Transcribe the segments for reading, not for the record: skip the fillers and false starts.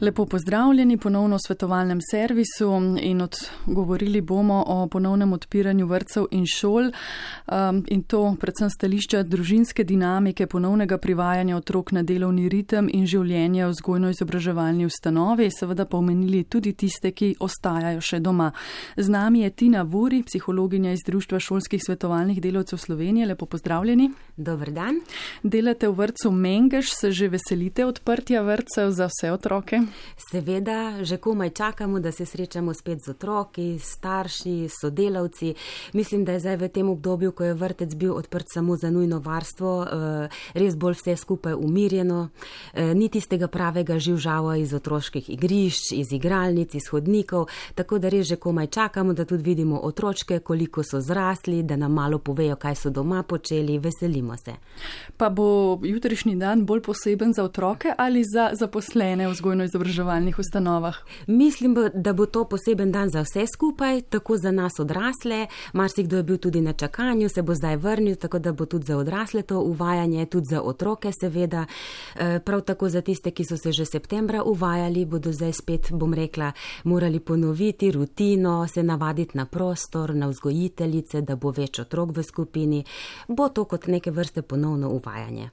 Lepo pozdravljeni ponovno v svetovalnem servisu in govorili bomo o ponovnem odpiranju vrtcev in šol in to predvsem stališča družinske dinamike, ponovnega privajanja otrok na delovni ritem in življenje v vzgojno-izobraževalni ustanovi, seveda pa omenili tudi tiste, ki ostajajo še doma. Z nami je Tina Vuri, psihologinja iz Društva šolskih svetovalnih delavcev Slovenije. Lepo pozdravljeni. Dober dan. Delate v vrtcu Mengeš, se že veselite odprtja vrtcev za vse otroke? Seveda, že komaj čakamo, da se srečamo spet z otroki, starši, sodelavci. Mislim, da je zdaj v tem obdobju, ko je vrtec bil odprt samo za nujno varstvo, res bolj vse skupaj umirjeno. Ni tistega pravega živžava iz otroških igrišč, iz igralnic, iz hodnikov, tako da res že komaj čakamo, da tudi vidimo otročke, koliko so zrasli, da nam malo povejo, kaj so doma počeli, veselimo se. Pa bo jutrišnji dan bolj poseben za otroke ali za zaposlene v vzgojno-izobraževalnih ustanovah? Mislim, da bo to poseben dan za vse skupaj, tako za nas odrasle. Marsikdo je bil tudi na čakanju, se bo zdaj vrnil, tako da bo tudi za odrasle to uvajanje, tudi za otroke seveda. Prav tako za tiste, ki so se že septembra uvajali, bodo zdaj spet, bom rekla, morali ponoviti rutino, se navaditi na prostor, na vzgojiteljice, da bo več otrok v skupini. Bo to kot neke vrste ponovno uvajanje.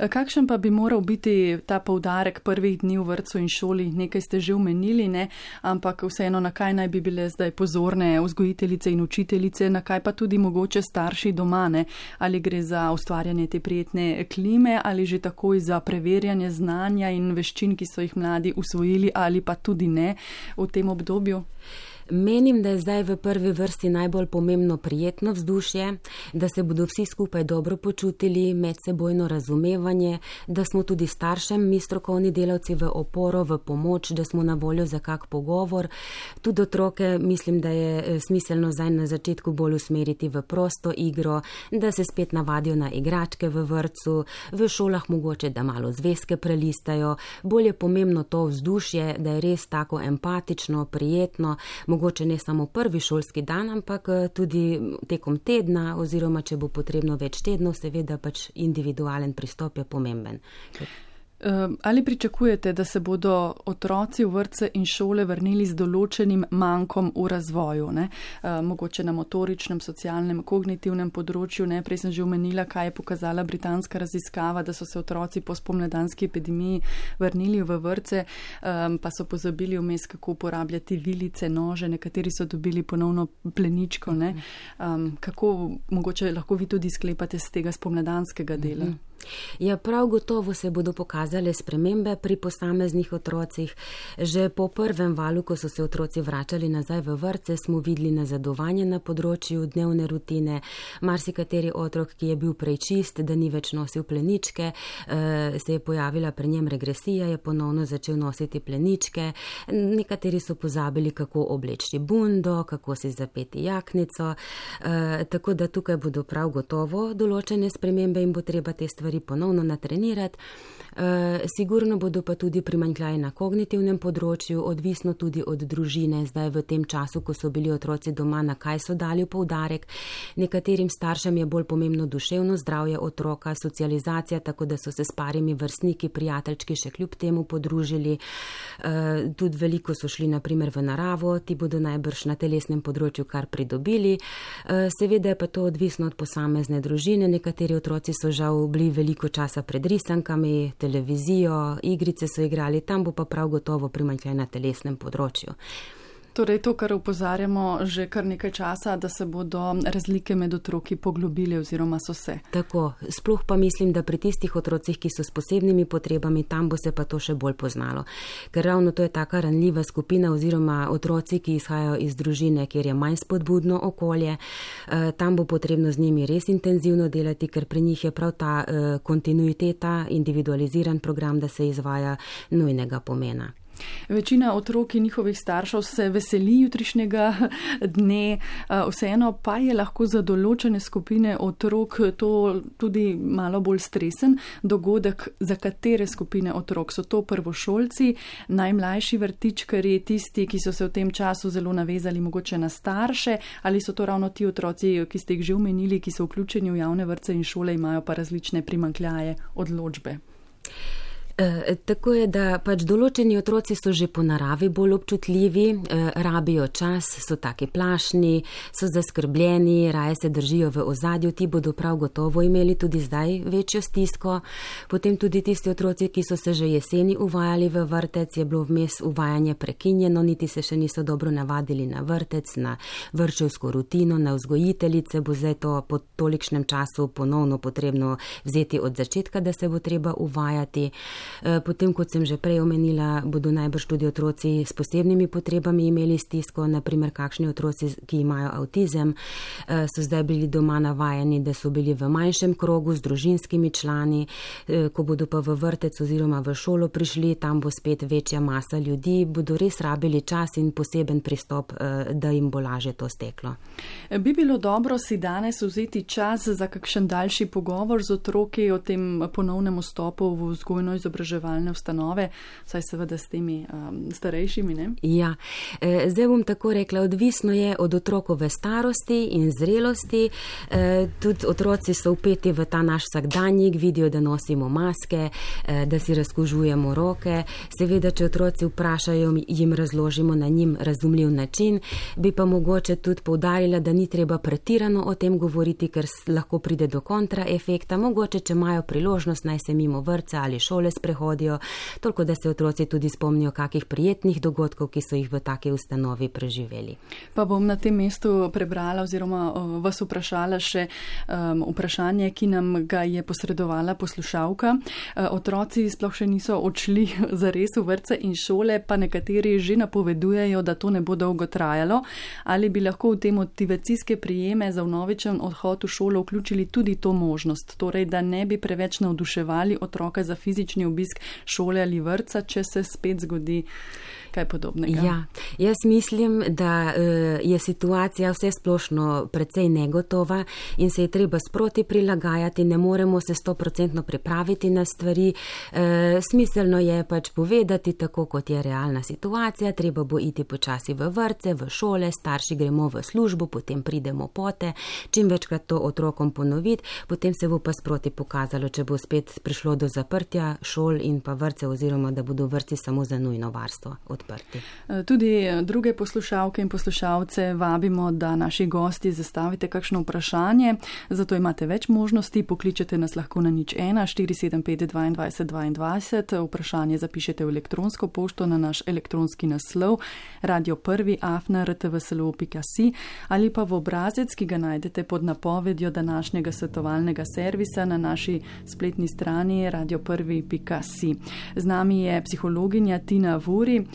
Kakšen pa bi moral biti ta poudarek prvih dni v vrtcu in šoli? Nekaj ste že omenili, ne? Ampak vseeno, na kaj naj bi bile zdaj pozorne vzgojiteljice in učiteljice, na kaj pa tudi mogoče starši doma, ne? Ali gre za ustvarjanje te prijetne klime ali že takoj za preverjanje znanja in veščin, ki so jih mladi usvojili ali pa tudi ne v tem obdobju? Menim, da je zdaj v prvi vrsti najbolj pomembno prijetno vzdušje, da se bodo vsi skupaj dobro počutili, medsebojno razumevanje, da smo tudi staršem, mi strokovni delavci v oporo, v pomoč, da smo na voljo za kak pogovor. Tudi otroke mislim, da je smiselno zdaj na začetku bolj usmeriti v prosto igro, da se spet navadijo na igračke v vrtcu, v šolah mogoče, da malo zvezke prelistajo. Bolj je pomembno to vzdušje, da je res tako empatično, prijetno, mogoče ne samo prvi šolski dan, ampak tudi tekom tedna oziroma, če bo potrebno več tednov, seveda pač individualen pristop je pomemben. Ali pričakujete, da se bodo otroci v vrtce in šole vrnili z določenim mankom v razvoju, ne? Mogoče na motoričnem, socialnem, kognitivnem področju, ne? Prej sem že omenila, kaj je pokazala britanska raziskava, da so se otroci po spomladanski epidemiji vrnili v vrtce, pa so pozabili vmes, kako uporabljati vilice, nože, nekateri so dobili ponovno pleničko, ne? Kako mogoče lahko vi tudi sklepate z tega spomladanskega dela? Ja, prav gotovo se bodo pokazale spremembe pri posameznih otrocih. Že po prvem valu, ko so se otroci vračali nazaj v vrtce, smo videli nazadovanje na področju dnevne rutine. Marsikateri otrok, ki je bil prej čist, da ni več nosil pleničke, se je pojavila pri njem regresija, je ponovno začel nositi pleničke. Nekateri so pozabili, kako obleči bundo, kako si zapeti jaknico, tako da tukaj bodo prav gotovo določene spremembe in bo treba te stvari ponovno natrenirati. Sigurno bodo pa tudi primanjkljaji na kognitivnem področju, odvisno tudi od družine, zdaj v tem času, ko so bili otroci doma, na kaj so dali poudarek. Nekaterim staršem je bolj pomembno duševno zdravje otroka, socializacija, tako da so se s parimi vrstniki, prijateljčki še kljub temu podružili. Tudi veliko so šli naprimer v naravo, ti bodo najbrž na telesnem področju kar pridobili. Seveda je pa to odvisno od posamezne družine, nekateri otroci so žal bili veliko časa pred risankami, televizijo, igrice so igrali, tam bo pa prav gotovo primanjkljaj na telesnem področju. Torej to, kar opozarjamo že kar nekaj časa, da se bodo razlike med otroki poglobile oziroma so se. Tako, sploh pa mislim, da pri tistih otrocih, ki so s posebnimi potrebami, tam bo se pa to še bolj poznalo. Ker ravno to je taka ranljiva skupina oziroma otroci, ki izhajajo iz družine, kjer je manj spodbudno okolje, tam bo potrebno z njimi res intenzivno delati, ker pri njih je prav ta kontinuiteta, individualiziran program, da se izvaja, nujnega pomena. Večina otrok in njihovih staršev se veseli jutrišnjega dne, vseeno pa je lahko za določene skupine otrok to tudi malo bolj stresen dogodek. Za katere skupine otrok? So to prvošolci, najmlajši vrtičkarji, tisti, ki so se v tem času zelo navezali mogoče na starše, ali so to ravno ti otroci, ki ste jih že omenili, ki so vključeni v javne vrtce in šole, imajo pa različne primanjkljaje, odločbe? Tako je, da pač določeni otroci so že po naravi bolj občutljivi, rabijo čas, so taki plašni, so zaskrbljeni, raje se držijo v ozadju, ti bodo prav gotovo imeli tudi zdaj večjo stisko. Potem tudi tisti otroci, ki so se že jeseni uvajali v vrtec, je bilo vmes uvajanje prekinjeno, niti se še niso dobro navadili na vrtec, na vrtčevsko rutino, na vzgojiteljice, bo zdaj to po tolikšnem času ponovno potrebno vzeti od začetka, da se bo treba uvajati. Potem, kot sem že prej omenila, bodo najbrž tudi otroci s posebnimi potrebami imeli stisko, naprimer kakšni otroci, ki imajo avtizem, so zdaj bili doma navajeni, da so bili v manjšem krogu z družinskimi člani, ko bodo pa v vrtec oziroma v šolo prišli, tam bo spet večja masa ljudi, bodo res rabili čas in poseben pristop, da jim bo lažje to steklo. Bi bilo dobro si danes vzeti čas za kakšen daljši pogovor z otroki o tem ponovnem vstopu v vzgojno-izobraževalne ustanove, saj seveda s temi starejšimi, ne? Ja, zdaj bom tako rekla, odvisno je od otrokove starosti in zrelosti. Tudi otroci so vpeti v ta naš vsakdanjik, vidijo, da nosimo maske, da si razkužujemo roke. Seveda, če otroci vprašajo, jim razložimo na njim razumljiv način, bi pa mogoče tudi poudarila, da ni treba pretirano o tem govoriti, ker lahko pride do kontraefekta. Mogoče, če imajo priložnost, naj se mimo vrtca ali šole sprehodijo, toliko da se otroci tudi spomnijo kakih prijetnih dogodkov, ki so jih v taki ustanovi preživeli. Pa bom na tem mestu prebrala oziroma vas vprašala še vprašanje, ki nam ga je posredovala poslušalka. Otroci sploh še niso odšli zares v vrtce in šole, pa nekateri že napovedujejo, da to ne bo dolgo trajalo. Ali bi lahko v te motivacijske prijeme za vnovičen odhod v šolo vključili tudi to možnost, torej da ne bi preveč navduševali otroka za fizični obisk šole ali vrtca, če se spet zgodi kaj podobnega? Ja, jaz mislim, da je situacija vse splošno precej negotova in se je treba sproti prilagajati, ne moremo se 100% pripraviti na stvari. Smiselno je pač povedati tako, kot je realna situacija, treba bo iti počasi v vrtce, v šole, starši gremo v službo, potem pridemo pote, čim večkrat to otrokom ponoviti, potem se bo pa sproti pokazalo, če bo spet prišlo do zaprtja šol in pa vrtce oziroma da bodo vrtci samo za nujno varstvo odprti. Tudi druge poslušalke in poslušalce vabimo, da naši gosti zastavite kakšno vprašanje, zato imate več možnosti, pokličete nas lahko na 01 475 22 22, vprašanje zapišete v elektronsko pošto na naš elektronski naslov radio1@rtvslo.si ali pa v obrazec, ki ga najdete pod napovedjo današnjega svetovalnega servisa na naši spletni strani radio1.si. Z nami je psihologinja Tina Vuri.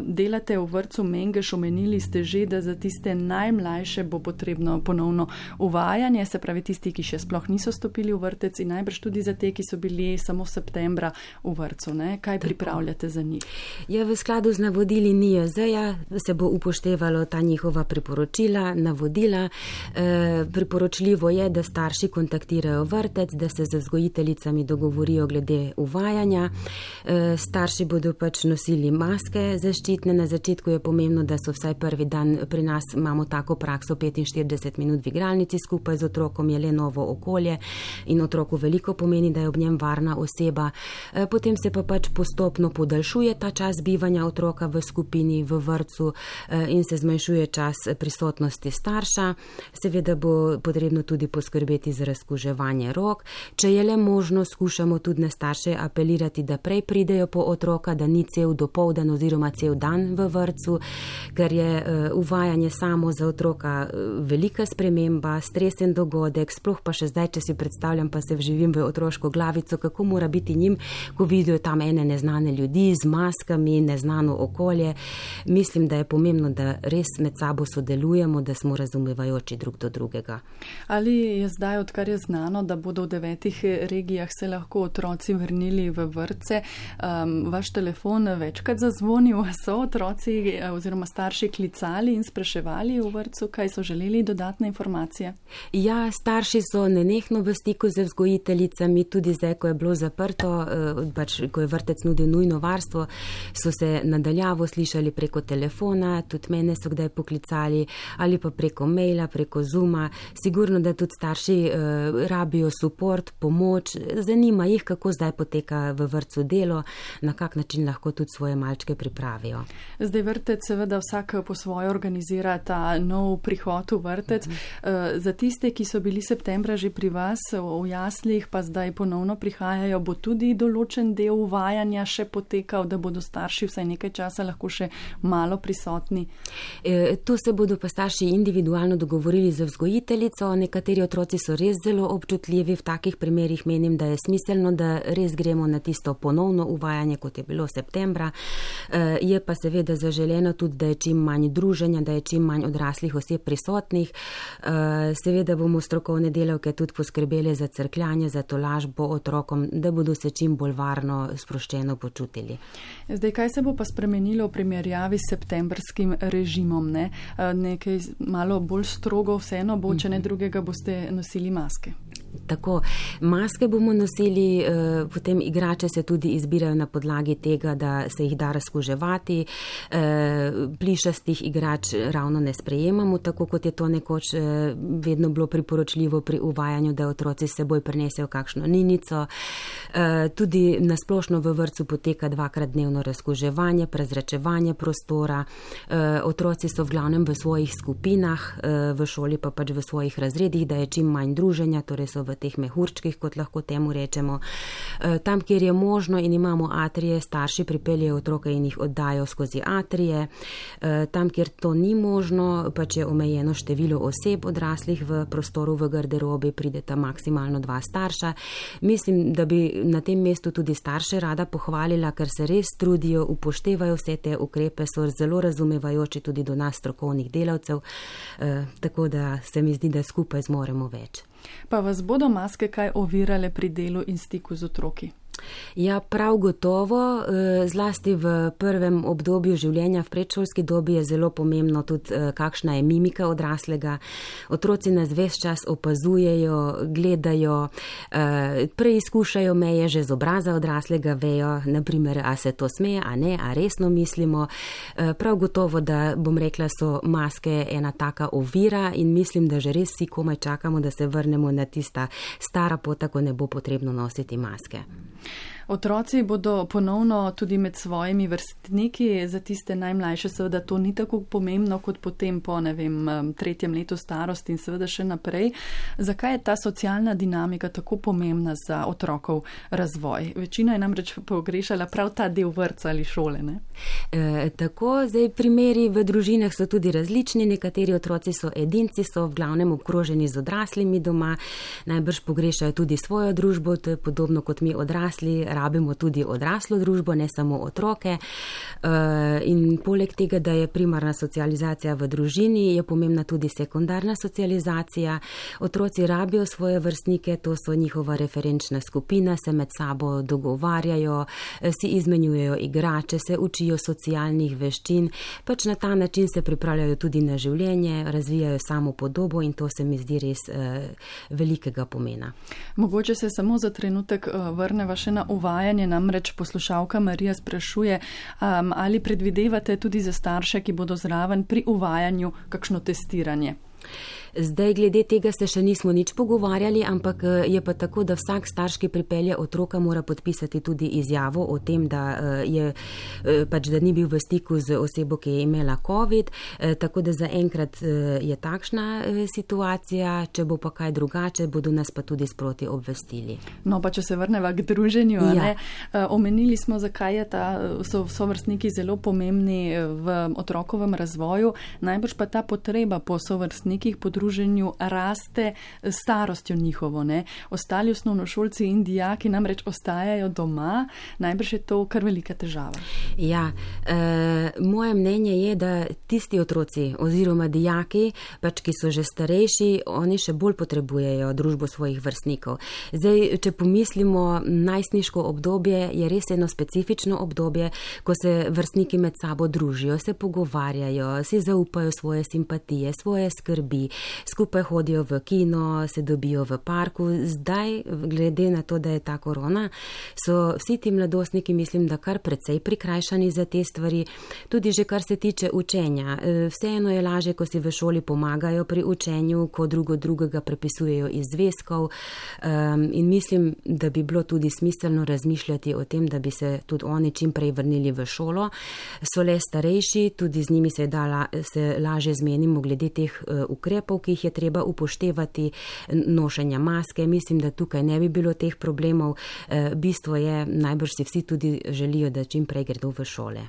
Delate v vrtcu Mengeš, omenili ste že, da za tiste najmlajše bo potrebno ponovno uvajanje, se pravi tisti, ki še sploh niso stopili v vrtec in najbrž tudi za te, ki so bili samo septembra v vrtcu, ne? Kaj pripravljate za njih? Ja, v skladu z navodili NIJZ-ja se bo upoštevalo ta njihova priporočila, navodila. Priporočljivo je, da starši kontaktirajo vrtec, da se z vzgojiteljicami dogovorijo glede uvajanja. Starši bodo pač nosili maske zaščitne. Na začetku je pomembno, da so vsaj prvi dan, pri nas imamo tako prakso 45 minut v igralnici skupaj z otrokom, je le novo okolje in otroku veliko pomeni, da je ob njem varna oseba. Potem se pa pač postopno podaljšuje ta čas bivanja otroka v skupini, v vrtcu in se zmanjšuje čas prisotnosti starša. Seveda bo potrebno tudi poskrbeti za razkuževanje rok. Če je le možno, skušamo tudi na starše apelirati, da prej pridejo po otroka, da ni cel dopoldan oziroma cel dan v vrtcu, ker je uvajanje samo za otroka velika sprememba, stresen dogodek, sploh pa še zdaj, če si predstavljam, pa se vživim v otroško glavico, kako mora biti njim, ko vidijo tam ene neznane ljudi z maskami, neznano okolje. Mislim, da je pomembno, da res med sabo sodelujemo, da smo razumevajoči drug do drugega. Ali je zdaj, odkar je znano, da bodo v 9 regijah se lahko otroci vrnili v vrtce, vaš telefon večkrat zazvonil, so otroci oziroma starši klicali in spraševali v vrtcu, kaj so želeli dodatne informacije? Ja, starši so nenehno v stiku z vzgojiteljicami, tudi zdaj, ko je bilo zaprto, pač, ko je vrtec nudil nujno varstvo, so se nadaljavo slišali preko telefona, tudi mene so kdaj poklicali, ali pa preko maila, preko Zooma. Sigurno, da tudi starši rabijo suport, pomoč, zanima jih, kako zdaj poteka poteka v vrtcu delo, na kak način lahko tudi svoje malčke pripravijo. Zdaj vrtec seveda vsak po svoje organizira ta nov prihod v vrtec. Za tiste, ki so bili septembra že pri vas v jaslih, pa zdaj ponovno prihajajo, bo tudi določen del uvajanja še potekal, da bodo starši vsaj nekaj časa lahko še malo prisotni? Tu se bodo pa starši individualno dogovorili z vzgojiteljico. Nekateri otroci so res zelo občutljivi. V takih primerih menim, da je smiselno, da res gremo na tisto ponovno uvajanje, kot je bilo septembra. Je pa seveda zaželeno tudi, da je čim manj druženja, da je čim manj odraslih oseb prisotnih. Seveda bomo strokovne delavke tudi poskrbeli za crkljanje, za tolažbo otrokom, da bodo se čim bolj varno, sproščeno počutili. Zdaj, kaj se bo pa spremenilo v primerjavi s septembrskim režimom? Ne? Nekaj malo bolj strogo vseeno bo, če ne drugega boste nosili maske. Tako, maske bomo nosili, potem igrače se tudi izbirajo na podlagi tega, da se jih da razkuževati. Plišastih igrač ravno ne sprejemamo, tako kot je to nekoč vedno bilo priporočljivo pri uvajanju, da otroci s seboj prinesejo kakšno ninico. Tudi nasplošno v vrtcu poteka 2-krat dnevno razkuževanje, prezračevanje prostora. Otroci so v glavnem v svojih skupinah, v šoli pa pač v svojih razredih, da je čim manj druženja, torej so v teh mehurčkih, kot lahko temu rečemo. Tam, kjer je možno in imamo atrije, starši pripeljejo otroke in jih oddajo skozi atrije. Tam, kjer to ni možno, pač je omejeno število oseb odraslih v prostoru v garderobi, prideta maksimalno 2 starša. Mislim, da bi na tem mestu tudi starše rada pohvalila, ker se res trudijo, upoštevajo vse te ukrepe, so zelo razumevajoči tudi do nas strokovnih delavcev, tako da se mi zdi, da skupaj zmoremo več. Pa vas bodo maske kaj ovirale pri delu in stiku z otroki? Ja, prav gotovo, zlasti v prvem obdobju življenja v predšolski dobi je zelo pomembno tudi, kakšna je mimika odraslega. Otroci nas ves čas opazujejo, gledajo, preizkušajo meje že z obraza odraslega, vejo, naprimer, a se to smeje, a ne, a resno mislimo. Prav gotovo, da bom rekla, so maske ena taka ovira in mislim, da že res vsi komaj čakamo, da se vrnemo na tista stara pota, ko ne bo potrebno nositi maske. Otroci bodo ponovno tudi med svojimi vrstniki, za tiste najmlajše seveda to ni tako pomembno kot potem po, 3. letu starosti in seveda še naprej. Zakaj je ta socialna dinamika tako pomembna za otrokov razvoj? Večina je namreč pogrešala prav ta del vrtca ali šole, ne? Tako, zdaj primeri v družinah so tudi različni, nekateri otroci so edinci, so v glavnem obkroženi z odraslimi doma, najbrž pogrešajo tudi svojo družbo, to je podobno kot mi odrasli, rabimo tudi odraslo družbo, ne samo otroke. In poleg tega, da je primarna socializacija v družini, je pomembna tudi sekundarna socializacija. Otroci rabijo svoje vrstnike, to so njihova referenčna skupina, se med sabo dogovarjajo, si izmenjujejo igrače, se učijo socialnih veščin, pač na ta način se pripravljajo tudi na življenje, razvijajo samopodobo in to se mi zdi res velikega pomena. Mogoče se samo za trenutek vrneva še na uvajanje, namreč poslušalka Marija sprašuje, ali predvidevate tudi za starše, ki bodo zraven pri uvajanju kakšno testiranje? Zdaj, glede tega se še nismo nič pogovarjali, ampak je pa tako, da vsak starš, ki pripelje otroka, mora podpisati tudi izjavo o tem, da ni bil v stiku z osebo, ki je imela COVID, tako da zaenkrat je takšna situacija, če bo pa kaj drugače, bodo nas pa tudi sproti obvestili. No, pa če se vrneva k druženju, ja. Omenili smo, zakaj so sovrstniki zelo pomembni v otrokovem razvoju, najbrž pa ta potreba po sovrstnikih, po druženju raste starostjo njihovo, ne? Ostali osnovnošolci in dijaki namreč ostajajo doma, najbrž je to kar velika težava. Ja, moje mnenje je, da tisti otroci oziroma dijaki, pač ki so že starejši, oni še bolj potrebujejo družbo svojih vrstnikov. Zdaj, če pomislimo, najstniško obdobje je res eno specifično obdobje, ko se vrstniki med sabo družijo, se pogovarjajo, si zaupajo svoje simpatije, svoje skrbi, skupaj hodijo v kino, se dobijo v parku. Zdaj, glede na to, da je ta korona, so vsi ti mladostniki, mislim, da kar precej prikrajšani za te stvari, tudi že kar se tiče učenja. Vseeno je lažje, ko si v šoli pomagajo pri učenju, ko drugega prepisujejo iz zvezkov, in mislim, da bi bilo tudi smiselno razmišljati o tem, da bi se tudi oni čim prej vrnili v šolo. So le starejši, tudi z njimi se lažje zmenimo glede teh ukrepov, ki jih je treba upoštevati, nošenja maske. Mislim, da tukaj ne bi bilo teh problemov. Bistvo je, najbrž si vsi tudi želijo, da čim prej gredo v šole.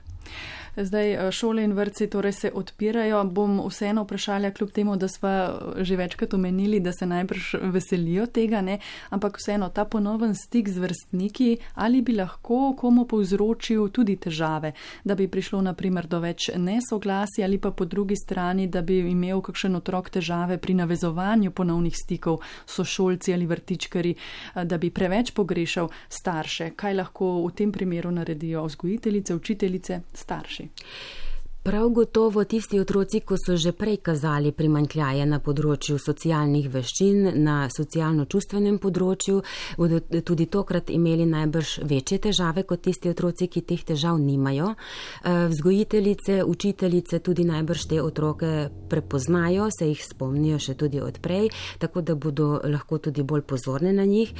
Zdaj šole in vrtci torej se odpirajo. Bom vseeno vprašala, kljub temu, da sva že večkrat omenili, da se najbrž veselijo tega, ne? Ampak vseeno ta ponoven stik z vrstniki, ali bi lahko komu povzročil tudi težave, da bi prišlo naprimer do več nesoglasij, ali pa po drugi strani, da bi imel kakšen otrok težave pri navezovanju ponovnih stikov s sošolci ali vrtičkari, da bi preveč pogrešal starše. Kaj lahko v tem primeru naredijo vzgojiteljice, učiteljice, starši? Prav gotovo tisti otroci, ko so že prej kazali primanjkljaje na področju socialnih veščin, na socialno-čustvenem področju, bodo tudi tokrat imeli najbrž večje težave kot tisti otroci, ki teh težav nimajo. Vzgojiteljice, učiteljice tudi najbrž te otroke prepoznajo, se jih spomnijo še tudi odprej, tako da bodo lahko tudi bolj pozorne na njih.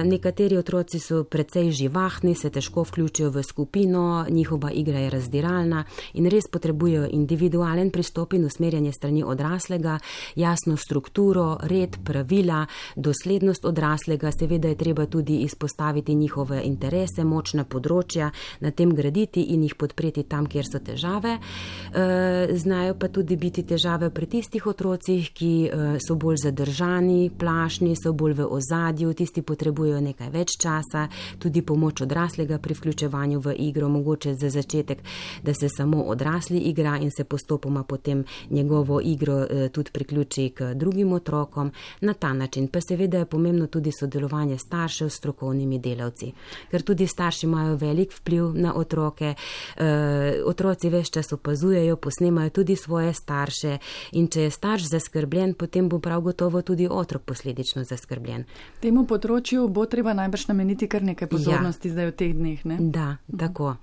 Nekateri otroci so precej živahni, se težko vključijo v skupino, njihova igra je razdiralna in res potrebujejo individualen pristop in usmerjanje strani odraslega, jasno strukturo, red, pravila, doslednost odraslega. Seveda je treba tudi izpostaviti njihove interese, močna področja, na tem graditi in jih podpreti tam, kjer so težave. Znajo pa tudi biti težave pri tistih otrocih, ki so bolj zadržani, plašni, so bolj v ozadju, tisti potrebujejo nekaj več časa, tudi pomoč odraslega pri vključevanju v igro, mogoče za začetek, da se samo odrasli igra in se postopoma potem njegovo igro tudi priključi k drugim otrokom. Na ta način pa seveda je pomembno tudi sodelovanje staršev s strokovnimi delavci, ker tudi starši imajo velik vpliv na otroke. Otroci ves čas opazujejo, posnemajo tudi svoje starše in če je starš zaskrbljen, potem bo prav gotovo tudi otrok posledično zaskrbljen. Temu področju bo treba najbrž nameniti kar nekaj pozornosti zdaj v teh dneh, ne? Da, tako.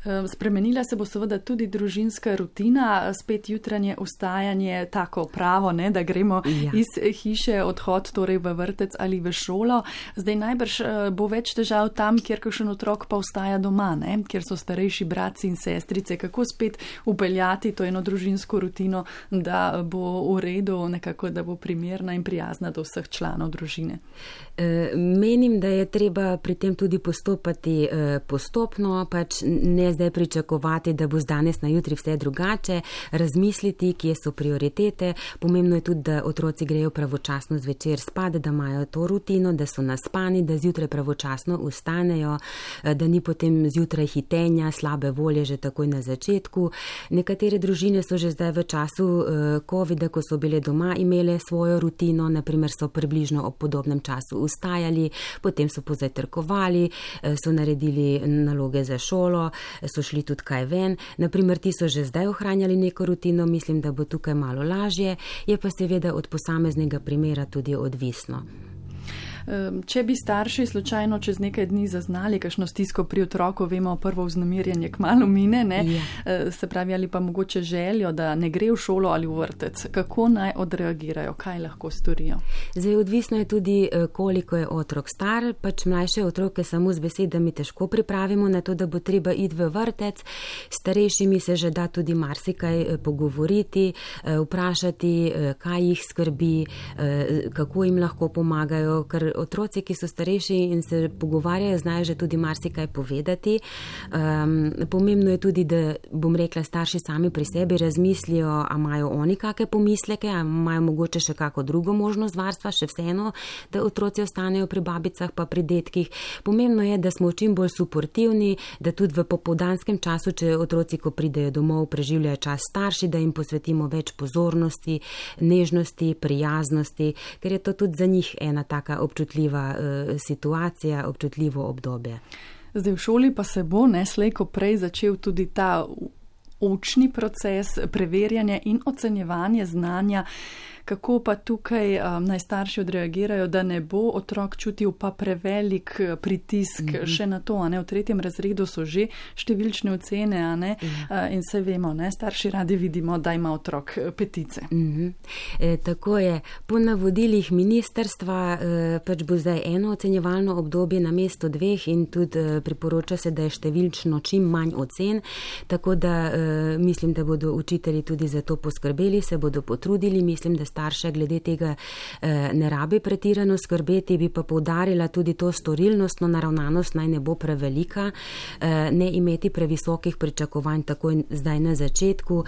Spremenila se bo seveda tudi družinska rutina, spet jutranje vstajanje, tako pravo, ne, da gremo iz hiše, odhod torej v vrtec ali v šolo. Zdaj najbrž bo več težav tam, kjer kakšen otrok pa vstaja doma, ne, kjer so starejši bratci in sestrice. Kako spet upeljati to eno družinsko rutino, da bo v redu, nekako, da bo primerna in prijazna do vseh članov družine? Menim, da je treba pri tem tudi postopati postopno, pač ne zdaj pričakovati, da bo z danes na jutri vse drugače, razmisliti, kje so prioritete. Pomembno je tudi, da otroci grejo pravočasno zvečer spat, da imajo to rutino, da so naspani, da zjutraj pravočasno vstanejo, da ni potem zjutraj hitenja, slabe volje že takoj na začetku. Nekatere družine so že zdaj v času covida, ko so bile doma, imele svojo rutino, naprimer so približno ob podobnem času vstajali, potem so pozajtrkovali, so naredili naloge za šolo, so šli tudi kaj ven. Naprimer, ti so že zdaj ohranjali neko rutino, mislim, da bo tukaj malo lažje, je pa seveda od posameznega primera tudi odvisno. Če bi starši slučajno čez nekaj dni zaznali kakšno stisko pri otroku, vemo, prvo vznemirjenje kmalu mine, ne? Se pravi, ali pa mogoče željo, da ne gre v šolo ali v vrtec. Kako naj odreagirajo, kaj lahko storijo? Zdaj, odvisno je tudi, koliko je otrok star, pač mlajše otroke samo z besedami težko pripravimo na to, da bo treba iti v vrtec. Starejšimi se že da tudi marsikaj pogovoriti, vprašati, kaj jih skrbi, kako jim lahko pomagajo, ker otroci, ki so starejši in se pogovarjajo, znajo že tudi marsikaj povedati. Pomembno je tudi, da, bom rekla, starši sami pri sebi razmislijo, a imajo oni kakšne pomisleke, a imajo mogoče še kako drugo možnost varstva, še vseeno, da otroci ostanejo pri babicah pa pri detkih. Pomembno je, da smo čim bolj suportivni, da tudi v popoldanskem času, če otroci, ko pridejo domov, preživljajo čas starši, da jim posvetimo več pozornosti, nežnosti, prijaznosti, ker je to tudi za njih ena taka občutljiva situacija, občutljivo obdobje. Zdaj v šoli pa se bo slej ko prej začel tudi ta učni proces, preverjanje in ocenjevanje znanja. Kako pa tukaj naj starši odreagirajo, da ne bo otrok čutil pa prevelik pritisk še na to, v 3. razredu so že številčne ocene, in se vemo, starši radi vidimo, da ima otrok petice. Tako je. Po navodilih ministerstva pač bo zdaj eno ocenjevalno obdobje na mesto 2 in tudi priporoča se, da je številčno čim manj ocen, tako da mislim, da bodo učitelji tudi za to poskrbeli, se bodo potrudili, mislim, da starše glede tega ne rabi pretirano skrbeti, bi pa poudarila tudi to storilnostno naravnanost naj ne bo prevelika, ne imeti previsokih pričakovanj takoj zdaj na začetku.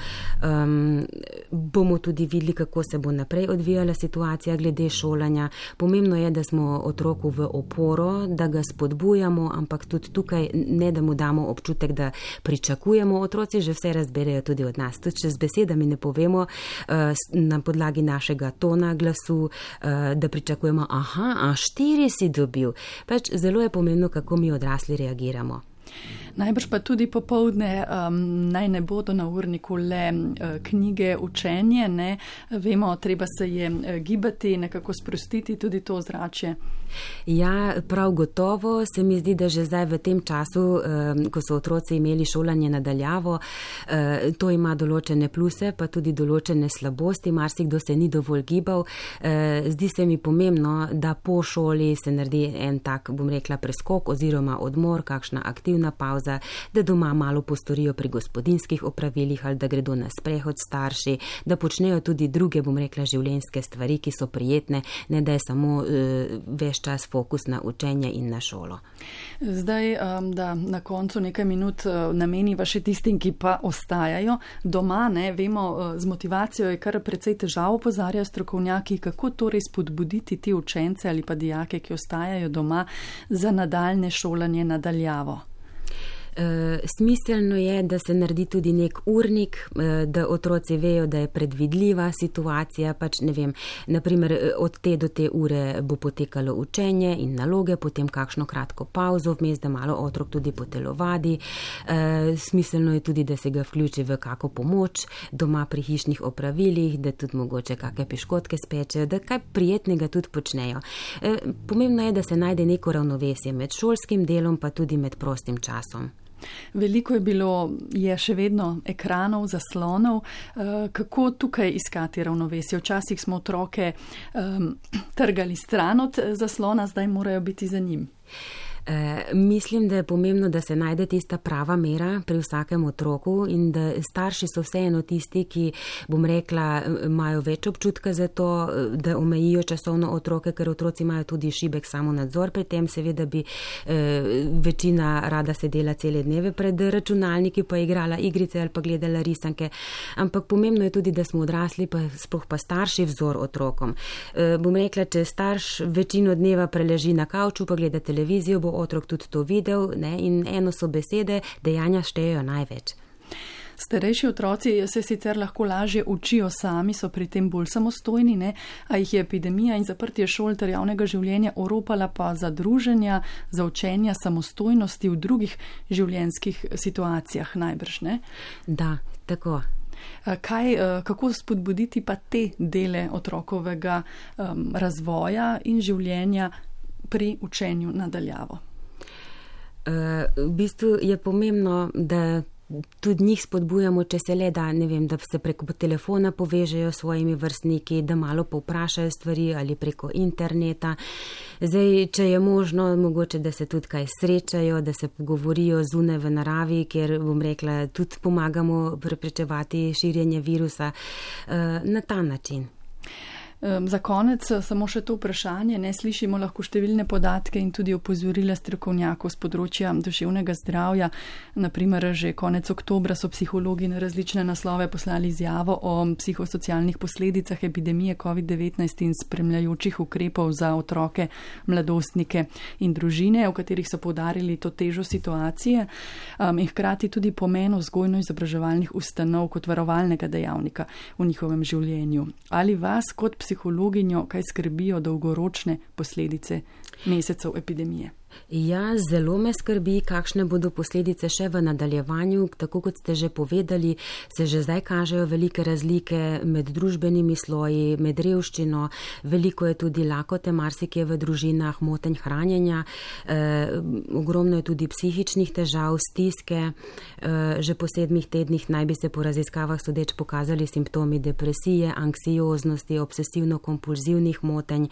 Bomo tudi videli, kako se bo naprej odvijala situacija glede šolanja. Pomembno je, da smo otroku v oporo, da ga spodbujamo, ampak tudi tukaj ne, da mu damo občutek, da pričakujemo. Otroci že vse razberejo tudi od nas. Tudi če z besedami ne povemo na podlagi našega tona glasu, da pričakujemo, 4 si dobil. Pač zelo je pomembno, kako mi odrasli reagiramo. Najbrž pa tudi popoldne naj ne bodo na urniku le knjige, učenje, ne? Vemo, treba se je gibati, nekako sprostiti tudi to ozračje. Ja, prav gotovo se mi zdi, da že zdaj v tem času, ko so otroci imeli šolanje nadaljavo, to ima določene pluse, pa tudi določene slabosti, marsikdo se ni dovolj gibal. Zdi se mi pomembno, da po šoli se naredi en tak, bom rekla, preskok oziroma odmor, kakšna aktivna pauza, da doma malo postorijo pri gospodinjskih opravilih ali da gredo na sprehod starši, da počnejo tudi druge, bom rekla, življenjske stvari, ki so prijetne, ne da je samo ves čas fokus na učenje in na šolo. Zdaj, da na koncu nekaj minut nameniva še tistim, ki pa ostajajo doma, ne, vemo, z motivacijo je kar precej težav, opozarjajo strokovnjaki, kako torej spodbuditi ti učence ali pa dijake, ki ostajajo doma, za nadaljne šolanje nadaljavo. Smiselno je, da se naredi tudi nek urnik, da otroci vejo, da je predvidljiva situacija, pač ne vem, naprimer od te do te ure bo potekalo učenje in naloge, potem kakšno kratko pauzo vmes, da malo otrok tudi potelovadi. Smiselno je tudi, da se ga vključi v kako pomoč doma pri hišnih opravilih, da tudi mogoče kakšne piškotke spečejo, da kaj prijetnega tudi počnejo. Pomembno je, da se najde neko ravnovesje med šolskim delom pa tudi med prostim časom. Veliko je še vedno ekranov, zaslonov. Kako tukaj iskati ravnovesje? Včasih smo otroke trgali stran od zaslona, zdaj morajo biti za njim. Mislim, da je pomembno, da se najde tista prava mera pri vsakem otroku in da starši so vseeno tisti, ki, bom rekla, imajo več občutka za to, da omejijo časovno otroke, ker otroci imajo tudi šibek samonadzor pri tem, seveda bi večina rada sedela cele dneve pred računalniki, pa igrala igrice ali pa gledala risanke, ampak pomembno je tudi, da smo odrasli, pa sploh pa starši vzor otrokom. Bom rekla, če starš večino dneva preleži na kavču, pa gleda televizijo, bo otrok tudi to videl, ne? In eno so besede, dejanja štejejo največ. Starejši otroci se sicer lahko lažje učijo sami, so pri tem bolj samostojni, ne? A jih je epidemija in zaprtje šol ter javnega življenja oropala pa za druženja, za učenja samostojnosti v drugih življenjskih situacijah najbrž, ne? Da, tako. Kako spodbuditi pa te dele otrokovega razvoja in življenja pri učenju nadaljavo? V bistvu je pomembno, da tudi njih spodbujamo, če se le da, ne vem, da se preko telefona povežejo s svojimi vrstniki, da malo povprašajo stvari ali preko interneta. Zdaj, če je možno, mogoče, da se tudi kaj srečajo, da se pogovorijo zunaj v naravi, kjer, bom rekla, tudi pomagamo preprečevati širjenje virusa na ta način. Za konec samo še to vprašanje, ne, slišimo lahko številne podatke in tudi opozorila strokovnjakov z področja duševnega zdravja. Naprimer, že konec oktobra so psihologi na različne naslove poslali izjavo o psihosocialnih posledicah epidemije COVID-19 in spremljajočih ukrepov za otroke, mladostnike in družine, v katerih so poudarili to težo situacije in hkrati tudi pomen vzgojno-izobraževalnih ustanov kot varovalnega dejavnika v njihovem življenju. Ali vas kot psihologinjo kaj skrbijo dolgoročne posledice mesecev epidemije? Ja, zelo me skrbi, kakšne bodo posledice še v nadaljevanju. Tako kot ste že povedali, se že zdaj kažejo velike razlike med družbenimi sloji, med revščino. Veliko je tudi lakote, marsikje v družinah, motenj hranjenja. Ogromno je tudi psihičnih težav, stiske. Že po 7 tednih naj bi se po raziskavah sodeč pokazali simptomi depresije, anksioznosti, obsesivno-kompulzivnih motenj.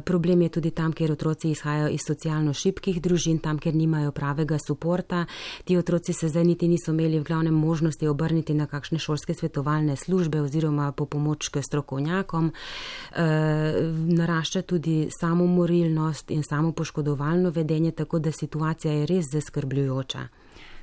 Problem je tudi tam, kjer otroci izhajajo iz socialno šibkih družin, tam, kjer nimajo pravega suporta. Ti otroci se zdaj niti niso imeli v glavnem možnosti obrniti na kakšne šolske svetovalne službe oziroma po pomoč k strokovnjakom. Narašča tudi samomorilnost in samopoškodovalno vedenje, tako da situacija je res zaskrbljujoča.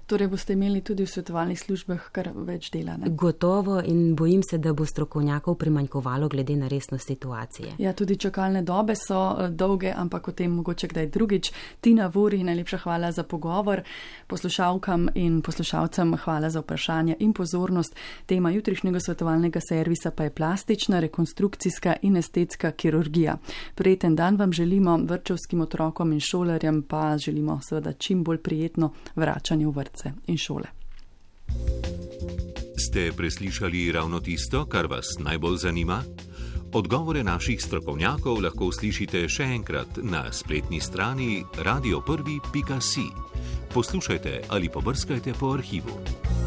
Torej boste imeli tudi v svetovalnih službah kar več dela, ne? Gotovo, in bojim se, da bo strokovnjakov primanjkovalo glede na resnost situacije. Ja, tudi čakalne dobe so dolge, ampak o tem mogoče kdaj drugič. Tina Vuri, najlepša hvala za pogovor. Poslušalkam in poslušalcem hvala za vprašanja in pozornost. Tema jutrišnjega svetovalnega servisa pa je plastična, rekonstrukcijska in estetska kirurgija. Prijeten dan vam želimo, vrtčevskim otrokom in šolarjem pa želimo seveda čim bolj prijetno vračanje v vrtce in šole. Ste preslišali ravno tisto, kar vas najbolj zanima? Odgovore naših strokovnjakov lahko slišite še enkrat na spletni strani radioprvi.si. Poslušajte ali pobrskajte po arhivu.